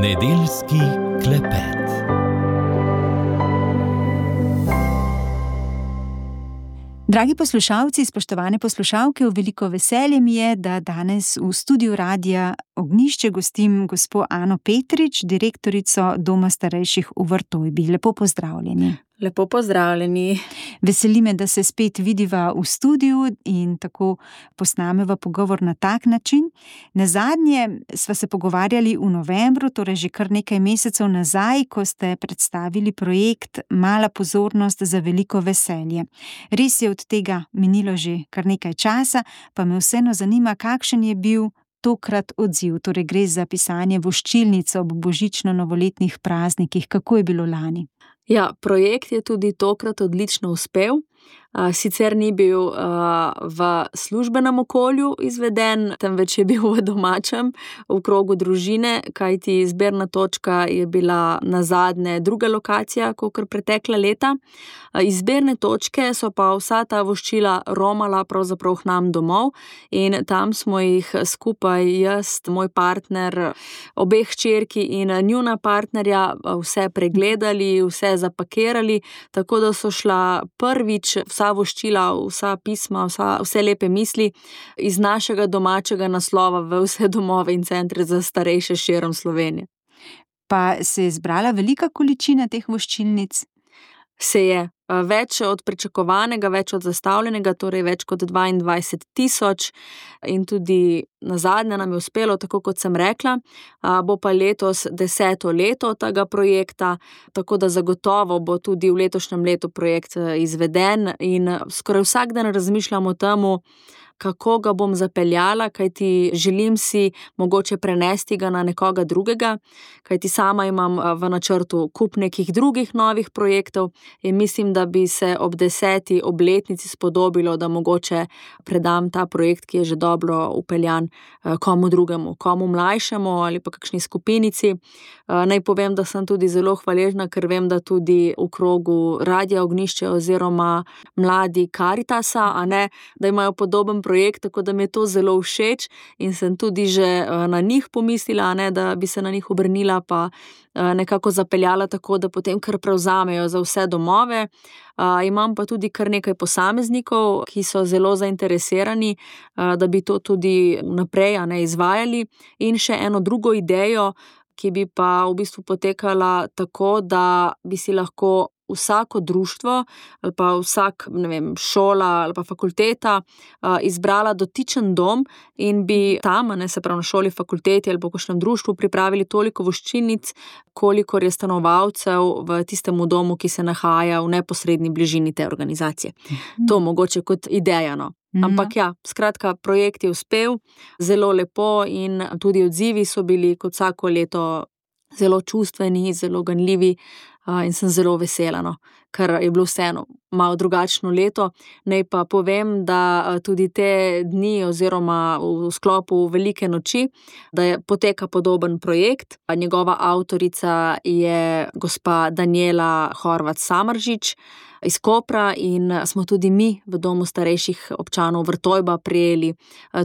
Nedeljski klepet. Dragi poslušalci, spoštovane poslušalke, v veliko veselje mi je, da danes v studiu Radia Ognjišče gostim gospo Ano Petrič, direktorico Doma starejših v Vrtojbi. Lepo pozdravljeni. Lepo pozdravljeni. Veseli me, da se spet vidiva v studiu in tako posnameva pogovor na tak način. Nazadnje sva se pogovarjali v novembru, torej že kar nekaj mesecev nazaj, ko ste predstavili projekt Mala pozornost za veliko veselje. Res je od tega minilo že kar nekaj časa, pa me vseeno zanima, kakšen je bil tokrat odziv. Torej gre za pisanje voščilnic ob božično-novoletnih praznikih. Kako je bilo lani? Ja, projekt je tudi tokrat odlično uspel. Sicer ni bil v službenem okolju izveden, temveč je bil v domačem, v krogu družine, kajti izbirna točka je bila nazadnje druga lokacija, kakor pretekla leta. Izbirne točke so pa vsa ta voščila romala pravzaprav k nam domov in tam smo jih skupaj jaz, moj partner, obe hčerki in njuna partnerja vse pregledali, vse zapakirali, tako da so šla prvič vsa voščila, vsa pisma, vse lepe misli iz našega domačega naslova v vse domove in centre za starejše širom Slovenije. Pa se je zbrala velika količina teh voščilnic? Se je. Več od pričakovanega, več od zastavljenega, torej več kot 22,000 in tudi nazadnje nam je uspelo, tako kot sem rekla. Bo pa letos 10. leto tega projekta, tako da zagotovo bo tudi v letošnjem letu projekt izveden in skoraj vsak dan razmišljam o temu, kako ga bom zapeljala, kajti želim si mogoče prenesti ga na nekoga drugega, kajti sama imam v načrtu kup nekih drugih novih projektov in mislim, da bi se ob 10. obletnici spodobilo, da mogoče predam ta projekt, ki je že dobro upeljan, komu drugemu, komu mlajšemu ali pa kakšni skupinici. Naj povem, da sem tudi zelo hvaležna, ker vem, da tudi v krogu Radia Ognjišče oziroma mladi Karitasa, da imajo podoben projekt, tako da mi je to zelo všeč in sem tudi že na njih pomislila, da bi se na njih obrnila pa nekako zapeljala tako, da potem kar prevzamejo za vse domove. Imam pa tudi kar nekaj posameznikov, ki so zelo zainteresirani, da bi to tudi naprej izvajali, in še eno drugo idejo, ki bi pa v bistvu potekala tako, da bi si lahko vsako društvo ali pa vsak, šola ali pa fakulteta izbrala dotičen dom in bi tam, se pravi na šoli, fakulteti ali pa v kakšnem društvu pripravili toliko voščilnic, kolikor je stanovalcev v tistemu domu, ki se nahaja v neposredni bližini te organizacije. To mogoče kot ideja, no. Ampak ja, skratka, projekt je uspel, zelo lepo in tudi odzivi so bili kot vsako leto zelo čustveni, zelo ganljivi in sem zelo vesela, no, ker je bilo vseeno malo drugačno leto. Naj pa povem, da tudi te dni oziroma v sklopu Velike noči, da poteka podoben projekt. Njegova avtorica je gospa Danijela Horvat Samržič iz Kopra in smo tudi mi v Domu starejših občanov Vrtojba prejeli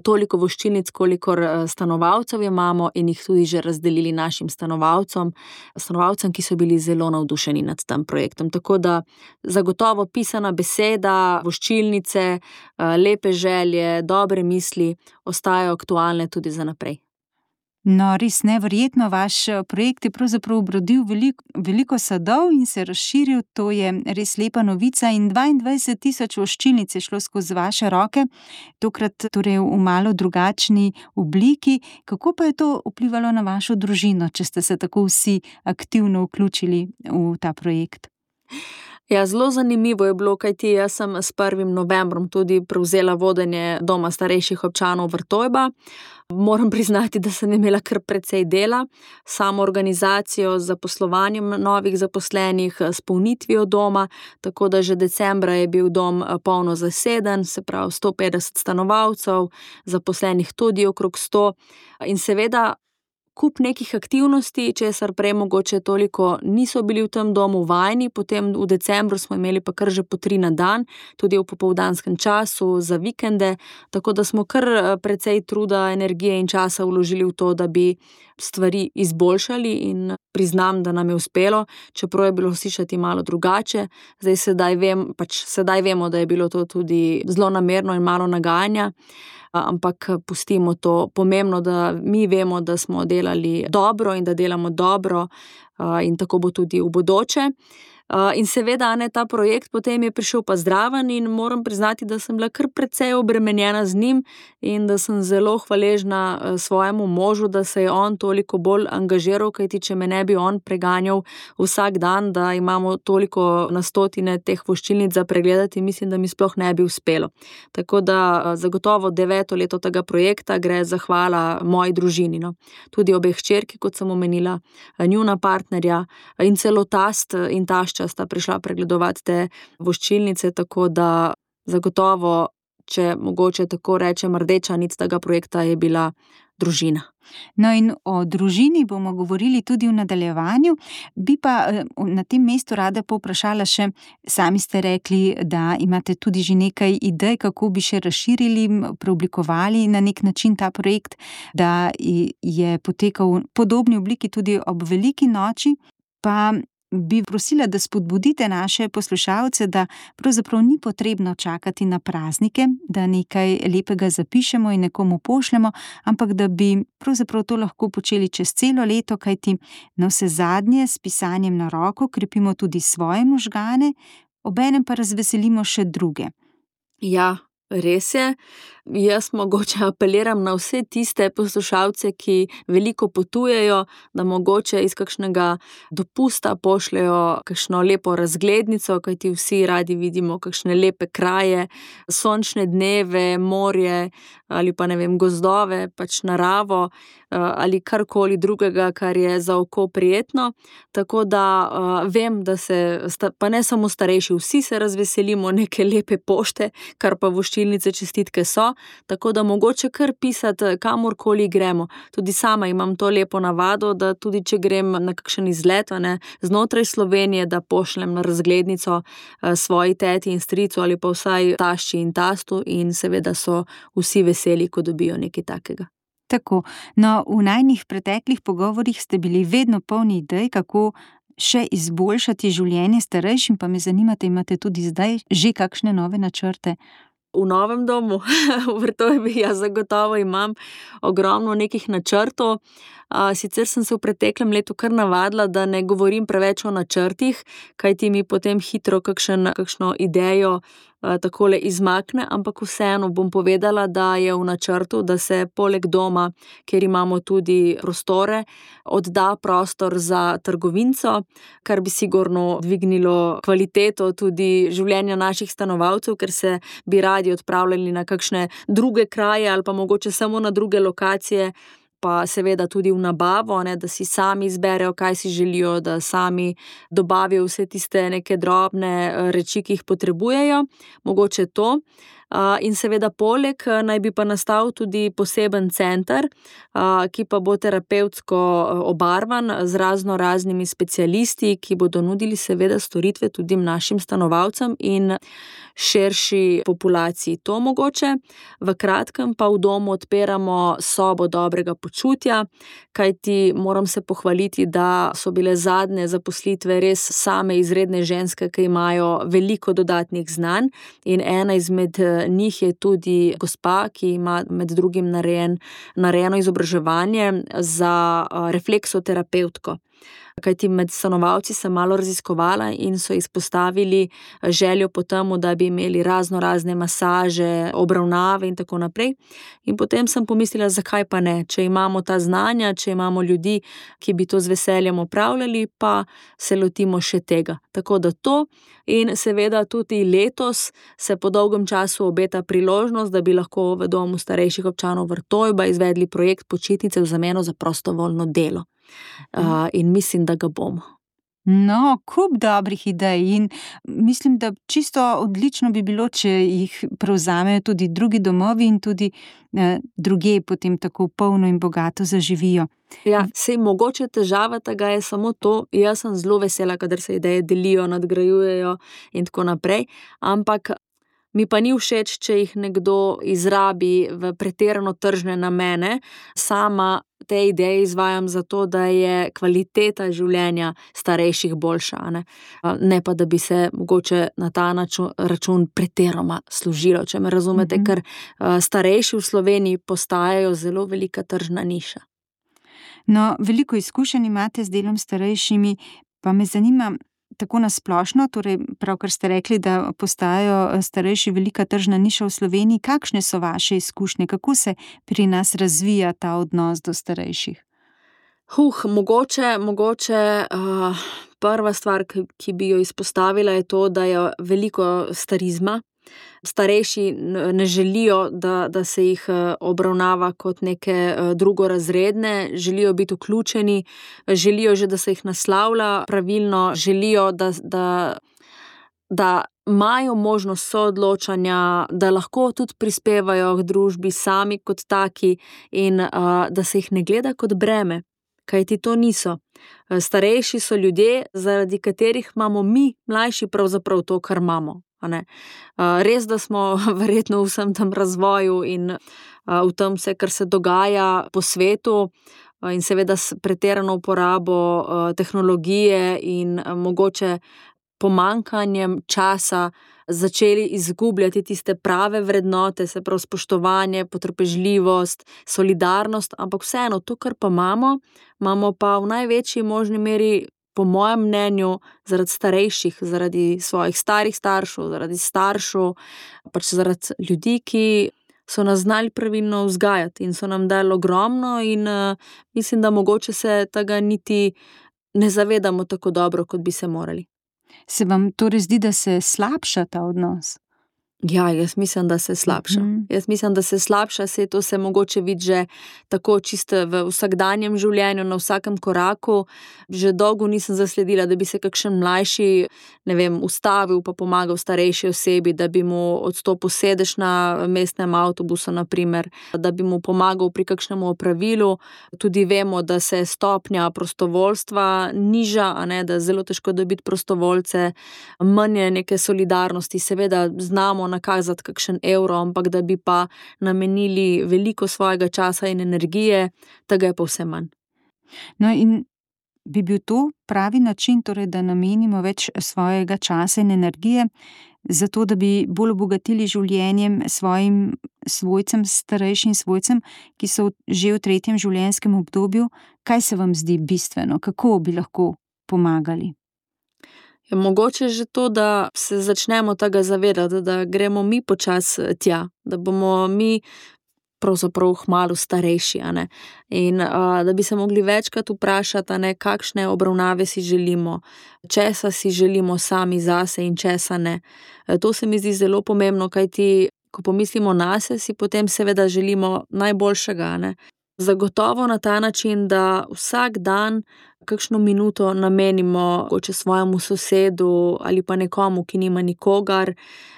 toliko voščilnic, kolikor stanovalcev imamo, in jih tudi že razdelili našim stanovalcem, ki so bili zelo navdušeni nad tem projektom. Tako da zagotovo pisana beseda, voščilnice, lepe želje, dobre misli ostajajo aktualne tudi za naprej. No, res neverjetno, vaš projekt je pravzaprav obrodil veliko sadov in se razširil, to je res lepa novica, in 22,000 voščilnic je šlo skozi vaše roke, tokrat torej v malo drugačni obliki. Kako pa je to vplivalo na vašo družino, če ste se tako vsi aktivno vključili v ta projekt? Ja, zelo zanimivo je bilo, kajti jaz sem s 1. novembrom tudi prevzela vodenje Doma starejših občanov Vrtojba. Moram priznati, da sem imela kar precej dela, samo organizacijo z zaposlovanjem novih zaposlenih, s polnitvijo doma, tako da že decembra je bil dom polno zaseden, se pravi 150 stanovalcev, zaposlenih tudi okrog 100. In seveda, kup nekih aktivnosti, česar prej mogoče toliko niso bili v tem domu vajeni, potem v decembru smo imeli pa kar že po 3 na dan, tudi v popoldanskem času, za vikende, tako da smo kar precej truda, energije in časa vložili v to, da bi stvari izboljšali in priznam, da nam je uspelo, čeprav je bilo slišati malo drugače. Sedaj vemo, da je bilo to tudi zlonamerno in malo nagajanja, ampak pustimo to. Pomembno, da mi vemo, da smo delali dobro in da delamo dobro, in tako bo tudi v bodoče. In seveda, ta projekt potem je prišel pa zraven in moram priznati, da sem bila kar precej obremenjena z njim in da sem zelo hvaležna svojemu možu, da se je on toliko bolj angažiral, kajti če me ne bi on preganjal vsak dan, da imamo toliko na stotine teh voščilnic za pregledati, mislim, da mi sploh ne bi uspelo. Tako da zagotovo 9. leto tega projekta gre zahvala moji družini, no. Tudi obe hčerki, kot sem omenila, njuna partnerja in celo tast in tašča sta prišla pregledovati te voščilnice, tako da zagotovo, če mogoče tako rečem, rdeča nit tega projekta je bila družina. No, in o družini bomo govorili tudi v nadaljevanju, bi pa na tem mestu rada povprašala še, sami ste rekli, da imate tudi že nekaj idej, kako bi še razširili, preoblikovali na nek način ta projekt, da je potekal v podobni obliki tudi ob veliki noči, pa bi prosila, da spodbudite naše poslušalce, da pravzaprav ni potrebno čakati na praznike, da nekaj lepega zapišemo in nekomu pošljemo, ampak da bi pravzaprav to lahko počeli čez celo leto, kajti navsezadnje s pisanjem na roko krepimo tudi svoje možgane, obenem pa razveselimo še druge. Ja, res je. Jaz mogoče apeliram na vse tiste poslušalce, ki veliko potujejo, da mogoče iz kakšnega dopusta pošljejo kakšno lepo razglednico, kajti vsi radi vidimo kakšne lepe kraje, sončne dneve, morje ali pa gozdove, pač naravo ali karkoli drugega, kar je za oko prijetno. Tako da vem, da pa ne samo starejši, vsi se razveselimo neke lepe pošte, kar pa voščilnice, čestitke so. Tako da mogoče kar pisati, kamorkoli gremo. Tudi sama imam to lepo navado, da tudi če grem na kakšen izlet, znotraj Slovenije, da pošljem na razglednico svoji teti in stricu ali pa vsaj tašči in tastu in seveda so vsi veseli, ko dobijo nekaj takega. Tako, no, v najnih preteklih pogovorih ste bili vedno polni idej, kako še izboljšati življenje starejšim, pa me zanima, imate tudi zdaj že kakšne nove načrte? V novem domu, v Vrtojbi, zagotovo imam ogromno nekih načrtov. Sicer sem se v preteklem letu kar navadila, da ne govorim preveč o načrtih, kajti mi potem hitro kakšno idejo takole izmakne, ampak vseeno bom povedala, da je v načrtu, da se poleg doma, kjer imamo tudi prostore, odda prostor za trgovinco, kar bi sigurno dvignilo kvaliteto tudi življenja naših stanovalcev, ker se bi radi odpravljali na kakšne druge kraje ali pa mogoče samo na druge lokacije, pa seveda tudi v nabavo, da si sami izberejo, kaj si želijo, da sami dobavijo vse tiste neke drobne reči, ki jih potrebujejo, mogoče to. In seveda poleg naj bi pa nastal tudi poseben center, ki pa bo terapevtsko obarvan z raznimi specialisti, ki bodo nudili seveda storitve tudi našim stanovalcem in širši populaciji. To mogoče. V kratkem pa v domu odpiramo sobo dobrega počutja, kajti moram se pohvaliti, da so bile zadnje zaposlitve res same izredne ženske, ki imajo veliko dodatnih znanj, in ena izmed njih je tudi gospa, ki ima med drugim narejeno izobraževanje za refleksoterapevtko. Kajti med stanovalci sem malo raziskovala in so izpostavili željo po temu, da bi imeli razne masaže, obravnave in tako naprej. In potem sem pomislila, zakaj pa ne, če imamo ta znanja, če imamo ljudi, ki bi to z veseljem opravljali, pa se lotimo še tega. Tako da to, in seveda tudi letos se po dolgem času obeta priložnost, da bi lahko v domu starejših občanov Vrtojba izvedli projekt počitnice v zameno za prostovoljno delo. In mislim, da ga bomo. No, kup dobrih idej in mislim, da čisto odlično bi bilo, če jih prevzamejo tudi drugi domovi in tudi drugje potem tako polno in bogato zaživijo. Ja, sej mogoče težava tega je samo to, jaz sem zelo vesela, kadar se ideje delijo, nadgrajujejo in tako naprej, ampak mi pa ni všeč, če jih nekdo izrabi v pretirano tržne namene. Sama te ideje izvajam zato, da je kvaliteta življenja starejših boljša, ne pa, da bi se mogoče na ta račun pretirano služilo, če me razumete, ker starejši v Sloveniji postajajo zelo velika tržna niša. No, veliko izkušenj imate z delom s starejšimi, pa me zanima tako na splošno, torej pravkar ste rekli, da postajajo starejši velika tržna niša v Sloveniji. Kakšne so vaše izkušnje? Kako se pri nas razvija ta odnos do starejših? Mogoče prva stvar, ki bi jo izpostavila, je to, da je veliko starizma. Starejši ne želijo, da se jih obravnava kot neke drugorazredne, želijo biti vključeni, želijo že, da se jih naslavlja pravilno, želijo, da imajo možnost soodločanja, da lahko tudi prispevajo k družbi sami kot taki in da se jih ne gleda kot breme, kajti to niso. Starejši so ljudje, zaradi katerih imamo mi, mlajši, pravzaprav to, kar imamo. Res, da smo verjetno v vsem tem razvoju in v tem vse, kar se dogaja po svetu in seveda s pretirano uporabo tehnologije in mogoče pomanjkanjem časa začeli izgubljati tiste prave vrednote, se pravi spoštovanje, potrpežljivost, solidarnost, ampak vseeno to, kar pa imamo pa v največji možni meri, po mojem mnenju, zaradi starejših, zaradi svojih starih staršev, zaradi staršev, pač zaradi ljudi, ki so nas znali pravilno vzgajati in so nam dali ogromno in mislim, da mogoče se tega niti ne zavedamo tako dobro, kot bi se morali. Se vam torej zdi, da se slabša ta odnos? Ja, jaz mislim, da se slabša. Saj to se mogoče vidi že tako čisto v vsakdanjem življenju, na vsakem koraku. Že dolgo nisem zasledila, da bi se kakšen mlajši, ustavil pa pomagal starejši osebi, da bi mu odstopil sedež na mestnem avtobusu, na primer, da bi mu pomagal pri kakšnem opravilu. Tudi vemo, da se stopnja prostovoljstva niža, da je zelo težko dobiti prostovoljce, manj je neke solidarnosti, seveda znamo nakazati kakšen evro, ampak da bi pa namenili veliko svojega časa in energije, tega je pa vse manj. No, in bi bil to pravi način, torej, da namenimo več svojega časa in energije, zato da bi bolj obogatili življenjem svojim svojcem, starejšim svojcem, ki so že v 3. življenjskem obdobju? Kaj se vam zdi bistveno? Kako bi lahko pomagali? Mogoče že to, da se začnemo tega zavedati, da gremo mi počasi tja, da bomo mi pravzaprav kmalu starejši, in da bi se mogli večkrat vprašati, kakšne obravnave si želimo, česa si želimo sami zase in česa ne. To se mi zdi zelo pomembno, kajti ko pomislimo nase, si potem seveda želimo najboljšega, Zagotovo na ta način, da vsak dan kakšno minuto namenimo mogoče svojemu sosedu ali pa nekomu, ki nima nikogar,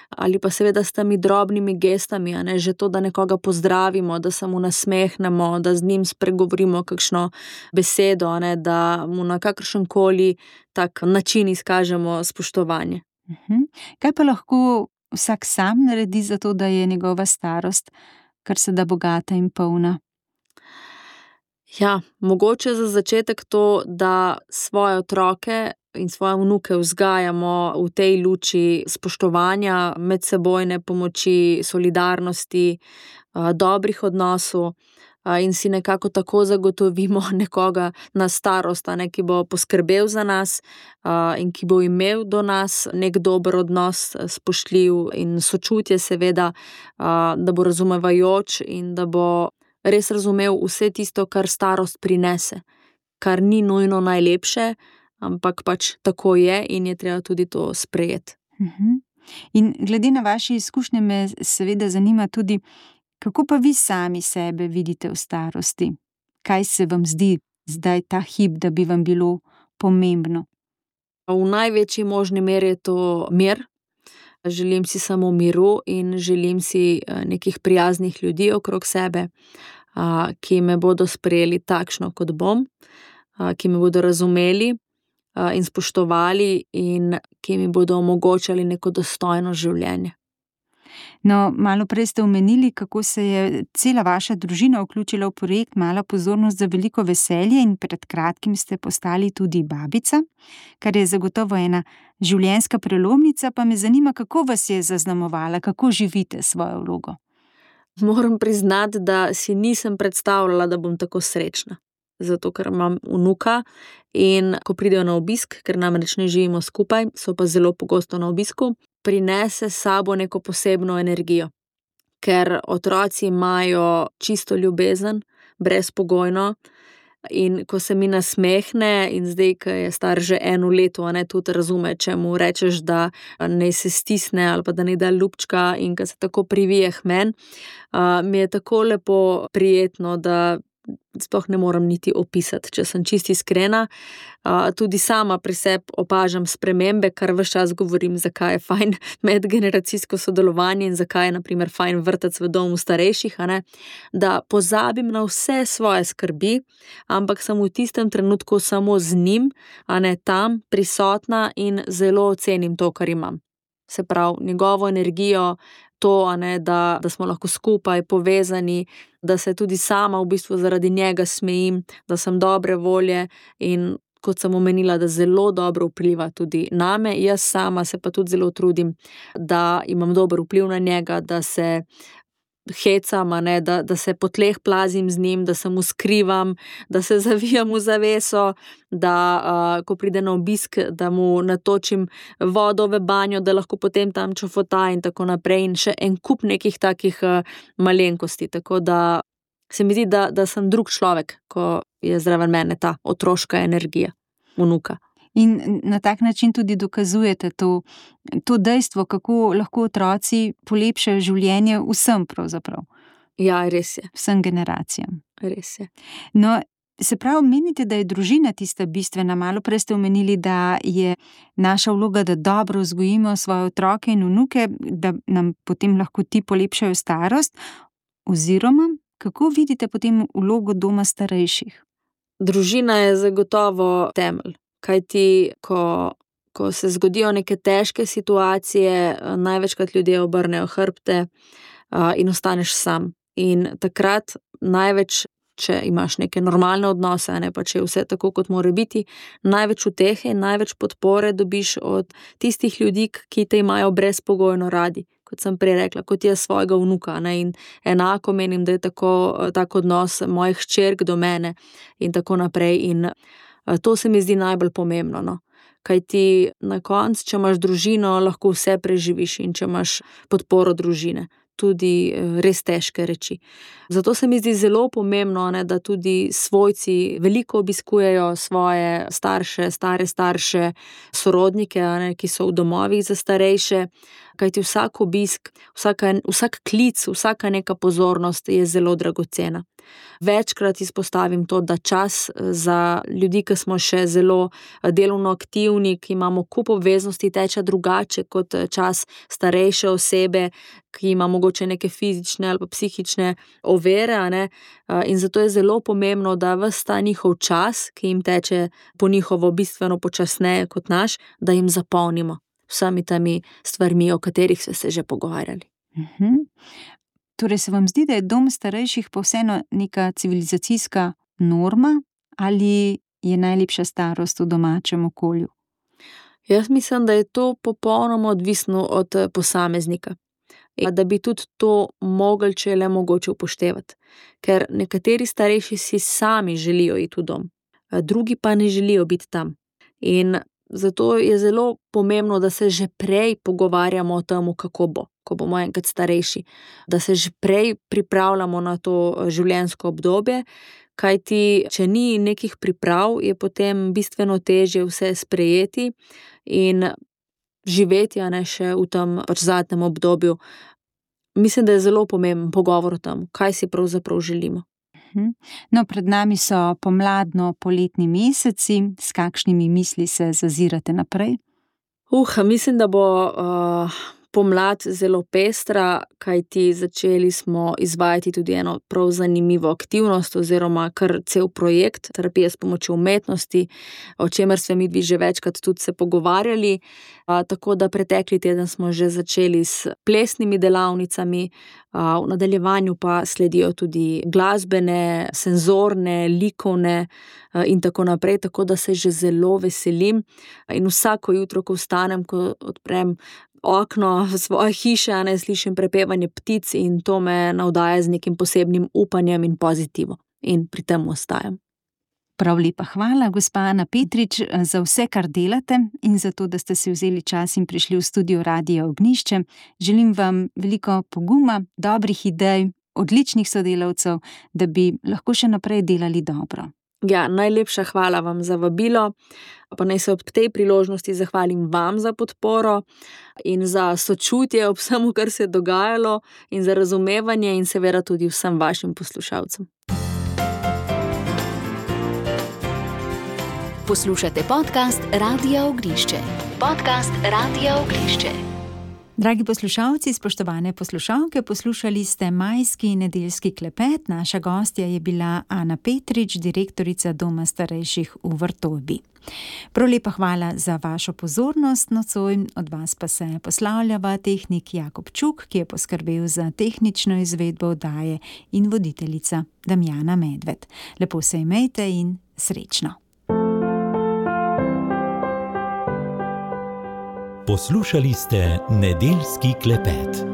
ali pa seveda s temi drobnimi gestami, že to, da nekoga pozdravimo, da se mu nasmehnemo, da z njim spregovorimo kakšno besedo, da mu na kakršenkoli tak način izkažemo spoštovanje. Kaj pa lahko vsak sam naredi za to, da je njegova starost kar se da bogata in polna? Ja, mogoče za začetek to, da svoje otroke in svoje vnuke vzgajamo v tej luči spoštovanja, medsebojne pomoči, solidarnosti, dobrih odnosov, in si nekako tako zagotovimo nekoga na starost, ki bo poskrbel za nas, in ki bo imel do nas nek dober odnos, spoštljiv in sočutje seveda, da bo razumevajoč in da bo res razumel vse tisto, kar starost prinese, kar ni nujno najlepše, ampak pač tako je in je treba tudi to sprejeti. In glede na vaše izkušnje me seveda zanima tudi, kako pa vi sami sebe vidite v starosti? Kaj se vam zdi zdaj ta hip, da bi vam bilo pomembno? V največji možni meri je to mir. Želim si samo miru in želim si nekih prijaznih ljudi okrog sebe, ki me bodo sprejeli takšno, kot bom, ki me bodo razumeli in spoštovali in ki mi bodo omogočali neko dostojno življenje. No, malo prej ste omenili, kako se je cela vaša družina vključila v projekt Mala pozornost za veliko veselje in pred kratkim ste postali tudi babica, kar je zagotovo ena življenjska prelomnica, pa me zanima, kako vas je zaznamovala, kako živite svojo vlogo. Moram priznati, da si nisem predstavljala, da bom tako srečna. Zato, ker imam vnuka in ko pridejo na obisk, ker namreč ne živimo skupaj, so pa zelo pogosto na obisku, prinese s sabo neko posebno energijo. Ker otroci imajo čisto ljubezen, brezpogojno, in ko se mi nasmehne in zdaj, ko je star že 1 leto, tudi razume, če mu rečeš, da naj se stisne ali pa da naj da ljubčka, in ko se tako privije k meni, mi je tako lepo prijetno, da sploh ne morem niti opisati, če sem čisto iskrena. Tudi sama pri sebi opažam spremembe, kar ves čas govorim, zakaj je fajn medgeneracijsko sodelovanje in zakaj je na primer fajn vrtec v domu starejših, da pozabim na vse svoje skrbi, ampak sem v tistem trenutku samo z njim, tam prisotna in zelo ocenim to, kar imam. Se pravi, njegovo energijo, to, da smo lahko skupaj povezani, da se tudi sama v bistvu zaradi njega smejim, da sem dobre volje in kot sem omenila, da zelo dobro vpliva tudi name. Jaz sama se pa tudi zelo trudim, da imam dober vpliv na njega, da se hecam, da se po tleh plazim z njim, da se mu skrivam, da se zavijam v zaveso, da ko pride na obisk, da mu natočim vodo v banjo, da lahko potem tam čofota in tako naprej, in še en kup nekih takih malenkosti. Tako da se mi zdi, da sem drug človek, ko je zraven mene ta otroška energija vnuka. In na tak način tudi dokazujete to dejstvo, kako lahko otroci polepšajo življenje vsem pravzaprav. Ja, res je. Vsem generacijam. Res je. No, se pravi, menite, da je družina tista bistvena. Malo prej ste omenili, da je naša vloga, da dobro vzgojimo svoje otroke in vnuke, da nam potem lahko ti polepšajo starost. Oziroma, kako vidite potem vlogo doma starejših? Družina je zagotovo temelj. Kajti, ko se zgodijo neke težke situacije, največkrat ljudje obrnejo hrbte in ostaneš sam. In takrat največ, če imaš neke normalne odnose, pa če je vse tako, kot mora biti, največ utehe in največ podpore dobiš od tistih ljudi, ki te imajo brezpogojno radi. Kot sem prej rekla, kot jaz svojega vnuka. In enako menim, da je tak odnos mojih hčerk do mene in tako naprej. In to se mi zdi najbolj pomembno. Kajti na koncu, če imaš družino, lahko vse preživiš, in če imaš podporo družine, tudi res težke reči. Zato se mi zdi zelo pomembno, da tudi svojci veliko obiskujejo svoje starše, stare starše, sorodnike, ki so v domovih za starejše. Kajti vsak obisk, vsak klic, vsaka neka pozornost je zelo dragocena. Večkrat izpostavim to, da čas za ljudi, ki smo še zelo delovno aktivni, ki imamo kup obveznosti, teče drugače kot čas starejše osebe, ki ima mogoče neke fizične ali pa psihične ovire, in zato je zelo pomembno, da ves ta njihov čas, ki jim teče po njihovo bistveno počasneje kot naš, da jim zapolnimo vsemi temi stvarmi, o katerih ste se že pogovarjali. Torej se vam zdi, da je dom starejših pa vseeno neka civilizacijska norma ali je najlepša starost v domačem okolju? Jaz mislim, da je to popolnoma odvisno od posameznika. Da bi tudi to mogli, če je le mogoče, upoštevati. Ker nekateri starejši si sami želijo iti v dom, drugi pa ne želijo biti tam. In zato je zelo pomembno, da se že prej pogovarjamo o tem, kako bo, ko bomo enkrat starejši. Da se že prej pripravljamo na to življenjsko obdobje, kajti če ni nekih priprav, je potem bistveno težje vse sprejeti in živeti, še v tem zadnjem obdobju. Mislim, da je zelo pomemben pogovor o tem, kaj si pravzaprav želimo. No, pred nami so pomladno-poletni meseci, s kakšnimi misli se zazirate naprej? Mislim, da bo pomlad zelo pestra, kajti začeli smo izvajati tudi eno prav zanimivo aktivnost oziroma kar cel projekt terapije s pomočjo umetnosti, o čemer smo midvi že večkrat tudi se pogovarjali. Tako da pretekli teden smo že začeli s plesnimi delavnicami, v nadaljevanju pa sledijo tudi glasbene, senzorne, likovne in tako naprej, tako da se že zelo veselim. In vsako jutro, ko vstanem, ko odprem okno svoje hiše, slišim prepevanje ptic in to me navdaja z nekim posebnim upanjem in pozitivom. In pri tem ostajam. Prav lepa hvala, gospa Ana Petrič, za vse, kar delate in za to, da ste si vzeli čas in prišli v studio Radia Ognjišče. Želim vam veliko poguma, dobrih idej, odličnih sodelavcev, da bi lahko še naprej delali dobro. Ja, najlepša hvala vam za vabilo, pa naj se ob tej priložnosti zahvalim vam za podporo in za sočutje ob vsemu, kar se je dogajalo, in za razumevanje in seveda tudi vsem vašim poslušalcem. Poslušate podcast Radia Ognjišče. Podcast Radia Ognjišče. Dragi poslušalci, spoštovane poslušalke, poslušali ste majski nedeljski klepet. Naša gostja je bila Ana Petrič, direktorica Doma starejših v Vrtojbi. Prav lepa hvala za vašo pozornost nocoj, od vas pa se poslavljava tehnik Jakob Čuk, ki je poskrbel za tehnično izvedbo oddaje, in voditeljica Damjana Medved. Lepo se imejte in srečno. Poslušali ste nedeljski klepet.